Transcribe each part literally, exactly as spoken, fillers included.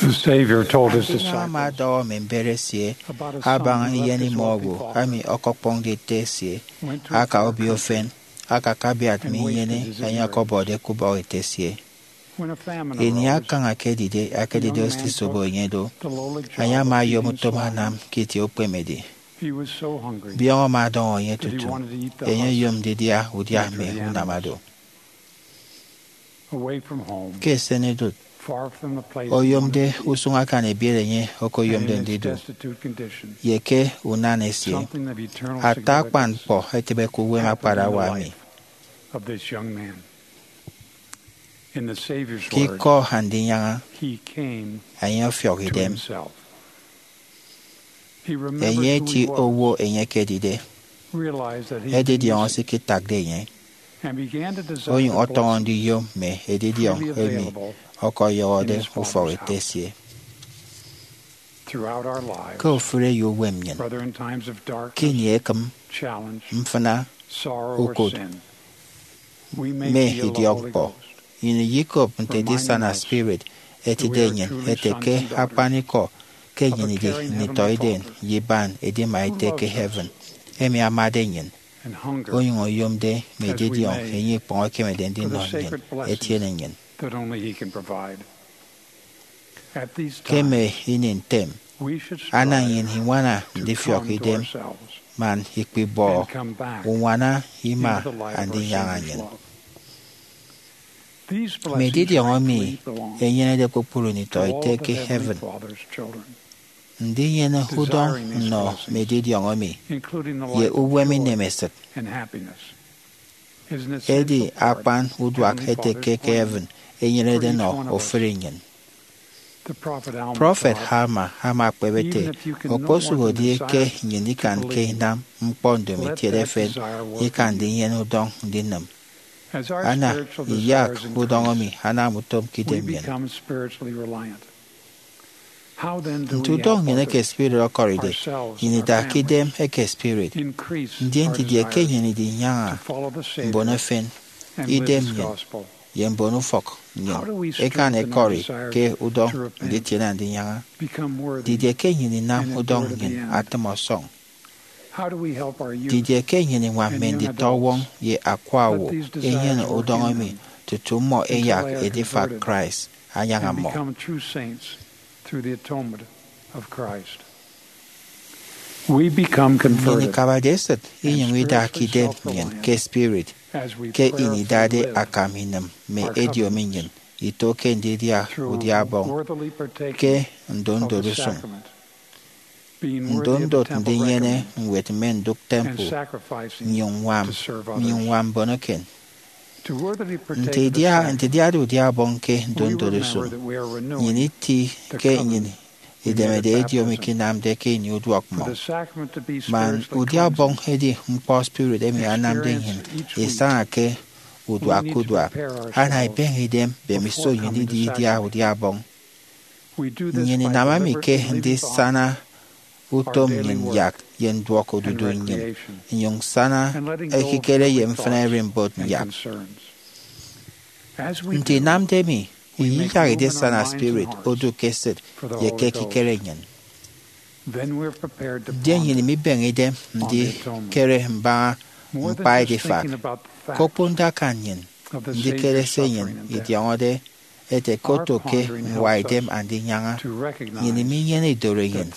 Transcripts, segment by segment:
The Savior told his Andinyọñ ama disciples ọdọhọ mme mbet esie about a abaña son who left his eyenemọ wealthy owo father, ami ọkọkpọñde ete esie went to a aka obio country, ufen, akakabiat mme inyene enye ọkọbọde ke ubọk ete esie. Ini akañ akedide akedide osisobo enye do, enye ama oyom utom anam ke itie ukpemedi. Biọñ ama ọdọñọ enye tutu enye oyom ndidia udia mme unama do. Ke esenidụt, oyomde usụñ akan ebiet enye okoyomde ndidu, ye ke unan esie, ata akpan ñkpọ etịbe ke uwem akparawa emi. Ke ikọ Andinyaña, enye ọfiọk idem. Enye eti owo enye ekedide, edidiọñ esikitakde enye, onyụñ ọtọñọ ndiyom mme edidiọñ emi ọkọyọhọde ufọk ete esie. Ke ofụri eyouwem nnyịn, ke ini ekịm, mfịna, ukụt, mme idiọkñkpọ, nnyịn iyekop nte edisana spirit etide nnyịn ete ke akpanikọ ke nnyịn idi nditọiden ye iban edima ete ke heaven emi amade nnyịn, onyụñ oyomde mme edidiọñ enye ikpọñ ekemede ndinọ nnyịn etiene nnyịn. Ke mme ini ntem, ana nnyịn iñwana ndifiọk idem man ikpibọ uñwana ima Andinyaña nnyịn. Mme edidiọñ emi enyenede kpukpru nditọete ke heaven. Ndinyene udọñ nnọ mme edidiọñ emi ye uwem inemesịt edi akpan uduak ete ke heaven enyenede nọ ofụri nnyịn. Prọfet Alma ama ekpep ete, okposụhodi ke nnyịn ikanke inam ñkpọ ndomo itiede efen, ikan ndinyene udọñ ndinịm. Ana iyak udọñ emi anam utom ke idem nnyịn. Nte udọñ nnyịn eke spirit ọkọride, nnyịn ida ke idem eke spirit. Ndien didie ke nnyịn idinyaña mbon efen, idem nnyịn, ye mbon ufọk nnyịn ikan ikọri ke udọñ nditiene Andinyaña? Didie ke nnyịn inam udọñ nnyịn atịm ọsọñ? Didie ke nnyịn iñwam mme nditọwọñ ye akwa owo ẹnyene udọñ emi tutu mmọ ẹyak edifak Christ anyaña mmọ? Nnyịn ikabade esịt inyụñ ida ke idem nnyịn ke spirit ke ini idade akam inịm mme ediomi nnyịn ito ke ndidia udia Ọbọñ ke ndotndot usụñ, ndotndot ndinyene ñwed mme ndụk temple, nnyụñ ññwam mbon eken. Nte idiade udia Ọbọñ ke ndotndot usụñ, nnyịn iti ke nnyịn idemede ediomi ke inamde ke ini uduọk mmọñ. Man udia Ọbọñ edi ñkpọ spirit emi anamde nnyịn isaña ke uduak ke uduak, ana ibeñe idem mbemiso nnyịn idi idia udia Ọbọñ. Nnyịn inam emi ke ndisana utom nnyịn yak ye nduọkodudu nnyịn, nnyụñ sana ekikere ye mfịna ererimbot nyak. Nte inamde emi, iyiyak edisana spirit odu ke esịt ye ke ekikere nnyịn. Ndien nnyịn mibeñe idem ndikere mbaña ñkpa edifak, ke okponde akan nnyịn, ndikere se nnyịn idiọñọde ete ke oto ke ñwaidem Andinyaña, nnyịn minyene idorenyin,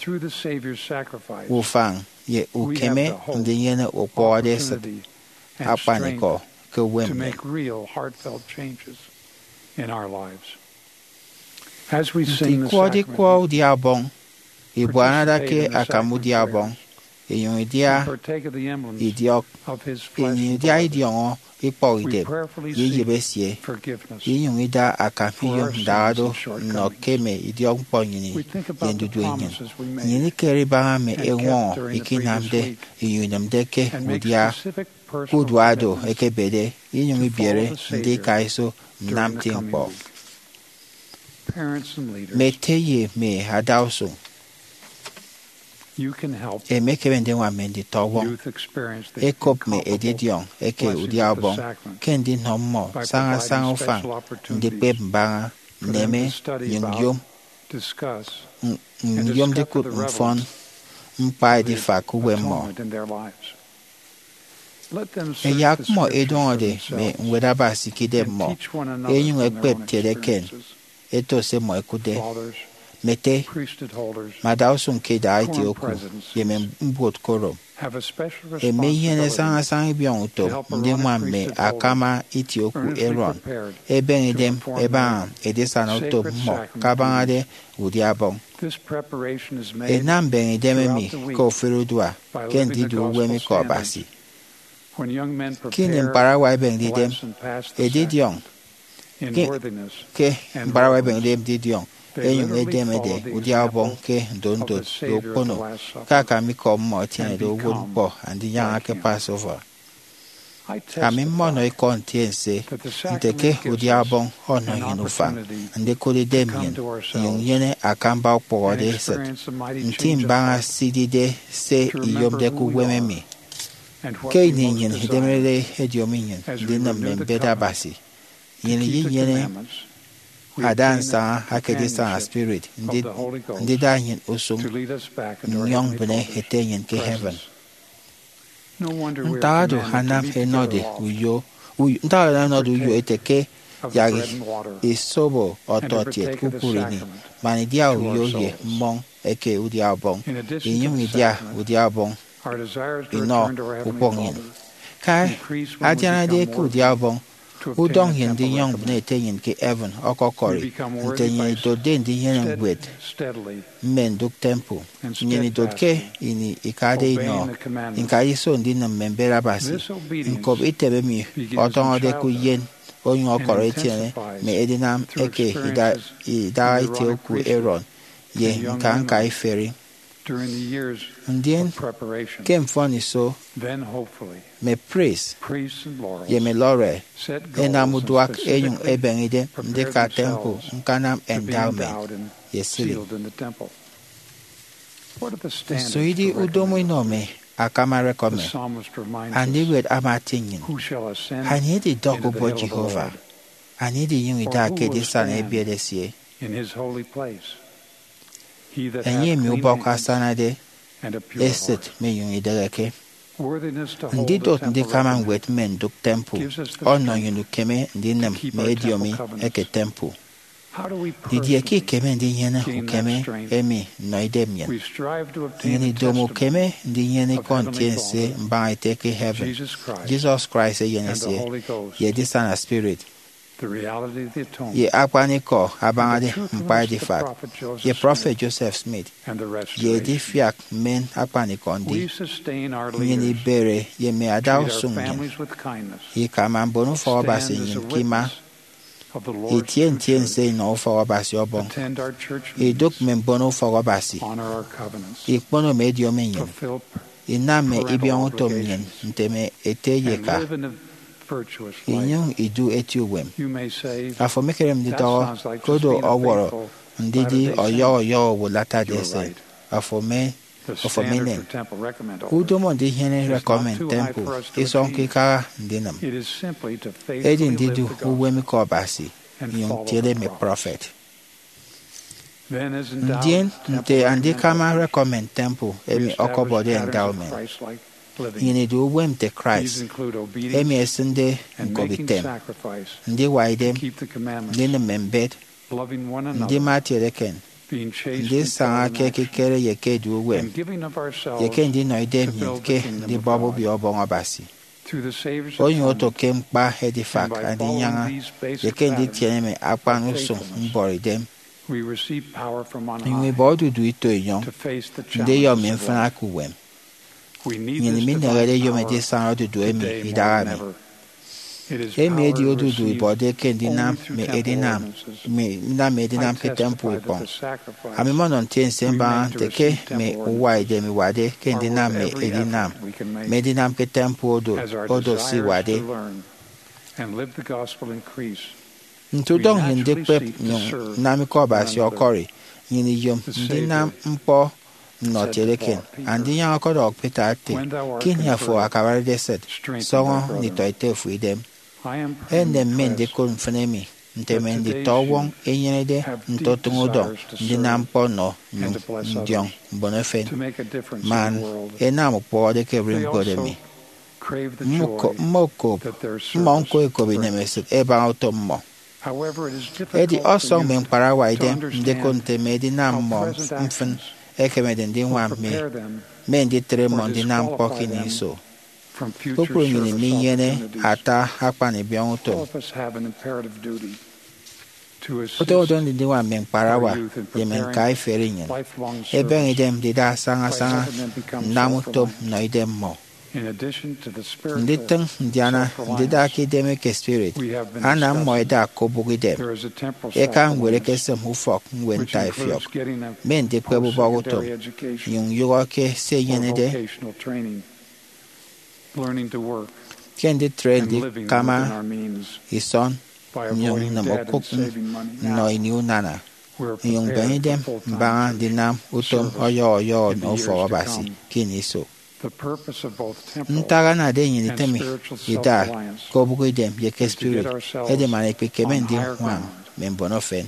ufañ, ye ukeme ndinyene ukpọhọde esịt akpanikọ ke uwem nnyịn. Nte ikwọde ikwọ udia Ọbọñ, ibuana ada ke akam udia Ọbọñ, inyụñ idia idiọk, inyụñ idia idiọñọ ikpọkidem ye iyịp esie, inyụñ ida akam iyom ndahado nnọ ke mme idiọkñkpọ nnyịn ye ndudue nnyịn. Nnyịn ikere ibaña mme eñwọñọ ikinamde inyụñ inịmde ke udia ke uduak do ekebede, inyụñ ibiere ndika iso nnam nti ñkpọ. Mme ete ye mme adausụñ, emekeme ndiñwam mme nditọwọñ ẹkop mme edidiọñ eke udia Ọbọñ ke ndinọ mmọ sañasaña ufañ ndikpep mbaña, nneme, nnyụñ yom N- Nyom ndikụt mfọn ñkpa edifak uwem mmọ. Ẹyak mmọ ẹdọñọde mme Ñwed Abasi ke idem mmọ, ẹnyụñ ẹkpep kiet eken ẹto se mmọ ẹkụtde. Mme ete, mme adausụñ ke idaha itie oku, ye mme mbuot ke orom, ẹmi ẹnyene sañasaña ibiọñutom ndiñwam mme akama itie oku Aaron, ẹbeñe idem ẹbaña edisana utom mmọ kabañade udia Ọbọñ. Ẹnam mbeñe idem emi ke ofụri udua ke ndidu uwem Ikọ Abasi. Ke ini ñkparawa ẹbeñde idem edidiọñ, ke ñkparawa ẹbeñde idem edidiọñ, ẹnyụñ ẹdemede udia Ọbọñ ke ndotndot ye ukpono, ke akam ikọ mmọ ẹtienede uwụtñkpọ Andinyaña ke Passover. Ami mmọnọ ikọ ntiense nte ke udia Ọbọñ ọnọ nnyịn ufañ ndikụt idem nnyịn nnyụñ nnyene akamba ukpụhọde esịt, nti mbaña se idide se iyomde ke uwem emi. Ke ini nnyịn idemerede ediomi nnyịn ndinịm mme mbet Abasi, nnyịn inyene ada nsaña aka edisana spirit ndida nnyịn usụñ nnyọñ mbịne Ete nnyịn ke heaven. Ntak oro anam ẹnọde uyo, uyo ntak oro anam ẹnọde uyo ete ke yak isobo ọtọkiet kpukpru ini man idia uyo ye mmọñ eke udia Ọbọñ, inyụñ idia udia Ọbọñ inọ ukpọk nnyịn. Ke adianade ke udia Ọbọñ, udọñ ye ndinyọñ mbịne Ete nnyịn ke heaven ọkọkọri nte nnyịn idotde ndinyene ñwed mme ndụk temple. Nnyịn idotke ini ikade inọ ñkaiso ndinịm mme mbet Abasi. Ñkop item emi ọtọñọde ke uyen onyụñ ọkọrọ etiene mme edinam eke idaha itie oku Aaron ye ñka ñka iferi. Ndien ke mfọniso, mme priest ye mme lawyer ẹnam uduak ẹnyụñ ẹbeñe idem ndika temple ñkanam endowment ye sealing. Nso idi udomo inọ mme akama recommend? Andiwet ama atie nnyịn, anie ididọk ubon Jehovah? Anie idinyụñ ida ke edisana ebiet esie? Enye emi ubọk asanade esịt minyụñ ideheke. Ndidot ndikama ñwed mme ndụk temple ọnọ nnyịn ukeme ndinịm mme ediomi eke temple. Didie ke ikeme ndinyene ukeme emi nnọ idem nnyịn? Nnyịn idomo ukeme ndinyene ikọ ntiense mbaña Ete ke heaven, Jesus Christ Eyen esie, ye edisana spirit, ye akpanikọ abañade ñkpa edifak, ye prọfet Joseph Smith, ye edifiak mmen akpanikọ ndi. Nnyịn ibere ye mme adausụñ nnyịn, ikama mbon ufọk Abasi nnyịn ke ima, itie ntiense inọ ufọk Abasi Ọbọñ, idụk mme mbon ufọk Abasi, ikpono mme ediomi nnyịn, inam mme ibiọñutom nnyịn nte mme ete ye eka, inyụñ idu eti uwem. Afo emekeme ndidọhọ, koro ọwọrọ ndidi ọyọhọ ọyọhọ owo Latter-day Saint. Afo eme, afo emenen. Udomo ndinyene recommend temple isọñke ikaha ndinịm. Edi ndidu uwem Ikọ Abasi, inyụñ tiene mme prọfet. Ndien nte andikama recommend temple emi ọkọbọde endowment, nnyịn idu uwem nte Christ, emi esịnde ñkobitem, ndiwa idem, ndinịm mme mbet, ndima etiedeken, ndisaña ke ekikere ye ke edu uwem, ye ke ndinọ idem nnyịn ke ndibọp Obio Ọbọñ Abasi. Onyụñ oto ke ñkpa edifak Andinyaña ye ke nditiene mme akpan usụñ mbọrọidem, inyụñ ibọ odudu ito enyọñ ndiyọ mme mfịna ke uwem. Nnyịn minehede iyom edisana odudu emi idahaemi. Emi edi odudu ibọde ke ndinam mme edinam, mme, ndinam mme edinam ke temple ikpọñ. Ami mmọnọ ntiense mbaña nte ke mme uwa idem iwade ke ndinam mme edinam, mme edinam ke temple odot, odot se iwade. Nte udọñ ye ndikpep nnyụñ nnam Ikọ Abasi ọkọri, nnyịn iyom ndinam ñkpọ nnọ etiedeken. Andinyaña ọkọdọhọ Peter ete, ke ini afo akabarede esịt, sọñọ nditọete fo idem. Enem mi ndikụt mfịn emi. nte mme nditọwọñ ẹnyenede ntotụñ udọñ ndinam ñkpọ nnọ nnyụñ ndiọñ mbon efen man ẹnam ukpụhọde ke ererimbot emi. Mmọ okop, mmọ ñko ẹkop inemesịt ẹbaña utom mmọ. Edi ọsọñ mme ñkparawa idem ndikụt nte mme edinam mmọ mfịn ẹkemede ndiñwam mi, mme nditre mmọ ndinam ñkpọ ke ini iso. Kpukpru nnyịn minyene ata akpan ibiọñutom. Utom udọñ ndiñwam mme ñkparawa ye mme ñkaiferi nnyịn ebeñe idem ndida sañasaña nnam utom nnọ idem mmọ. Nditịñ ndiana ndida ke idem eke spirit anam mmọ ẹda ke obụk idem. Eka ñwed ekesịm ufọk ñwed ntaifiọk, mme ndikpep ubọhọ utom, nnyụñ nyụhọ ke se inyenede ke nditre ndikama isọn nnyụñ nnịm okụk nnọ ini unana, nnyụñ mbeñe idem mbaña ndinam utom ọyọhọ ọyọhọ nnọ ufọk Abasi ke ini iso. Ntak anade nnyịn itịm ida ke obụk idem ye ke spirit edi man ikpikeme ndiñwam mme mbono efen.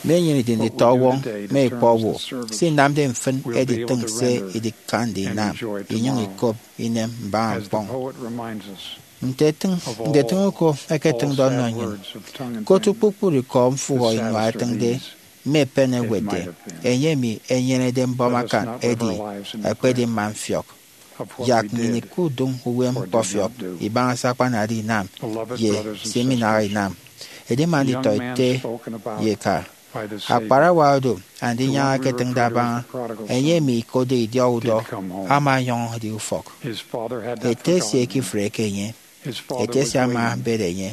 Mme nnyịn idi nditọwọñ mme ikpọ owo, se inamde mfịn editịñ se idikande inam, inyụñ ikop inem mbaña ñkpọñ. Nte etịñ, nte etịñ uko eketịñde ọnọ nnyịn, ke otu kpukpru ikọ mfụhọ inua ẹtịñde, mme epen ẹwetde, enye emi enyenede mbọm akan edi, ekpedi mma mfiọk. Yak nnyịn ikudụñ uwem ñkpọfiọk ibaña se akpanade inam ye se iminaha inam. Edima nditọ ete ye eka, akparawa odu Andinyaña eketịñde abaña, enye emi ikotde idiọk udọ ama ọnyọñ edi ufọk. Ete esie ikifreke enye. Ete esie ama abet enye.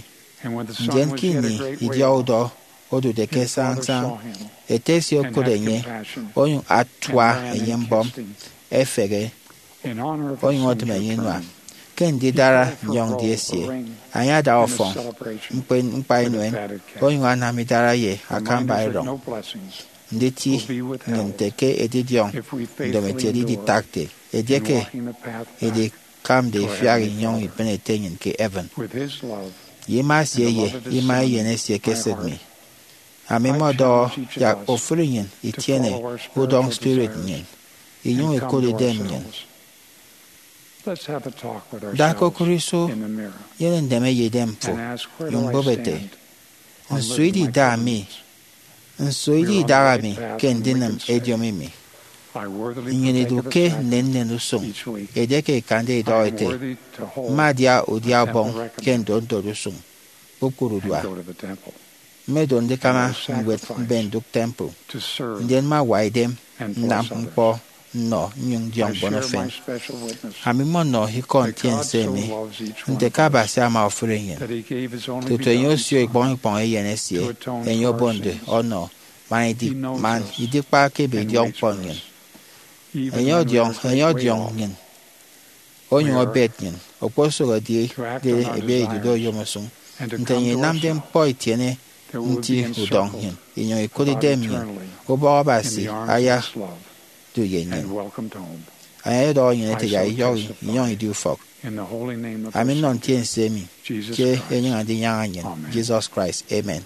Ndien ke ini idiọk udọ odude ke sañasaña, ete esie okụt enye, onyụñ atua enye mbọm, efehe, onyụñ otịm enye inua. Ke ndidara nnyọñ-ndi esie, enye ada ọfọñ ñkpa inuen, onyụñ anam idara ye akamba erọñ. Nditi nnyịn nte ke edidiọñ ndomokiet iditakde edieke idikamde ifiak inyọñ ibịne Ete nnyịn ke heaven. Ye ima esie ye ima eyen esie ke esịt mi, ami mmọdọhọ yak ofụri nnyịn itiene udọñ spirit nnyịn, inyụñ ikụt idem nnyịn. Da ke okụre iso, nyene nneme ye idemfo, nyụñ bụp ete, nso idi idaha mi? Nso idi idaha mi ke ndinịm ediomi mi? Nnyịn idu ke nnennen usụñ edieke ikande idọhọ ete, mma adia udia ọbọñ ke ndotndot usụñ kpukpru urua. Mmedo ndikama ñwed mbe ndụk temple, ndien mma awa idem nnam ñkpọ nnọ nnyụñ ndiọñ mbon efen. Ami mmọnọ ikọ ntiense emi nte ke Abasi ama ofụri nnyịn, tutu enye osio ikpọñ ikpọñ eyen esie enye obonde ọnọ man idikpa ke ebe idiọkñkpọ nnyịn. Enye ọdiọñ, enye ọdiọñ nnyịn, onyụñ obet nnyịn, okposụk edide ebe idude oyom usụñ. Nte nnyịn inamde ñkpọ itiene nti udọñ nnyịn, inyụñ ikụt idem nnyịn, ubọk Abasi ayadu ye nnyịn. Enye ọyọdọhọ nnyịn ete yak iyọhọ inyọñ idi ufọk. Ami nnọ ntiense emi ke enyịñ Andinyaña nnyịn, Jesus Christ. Amen.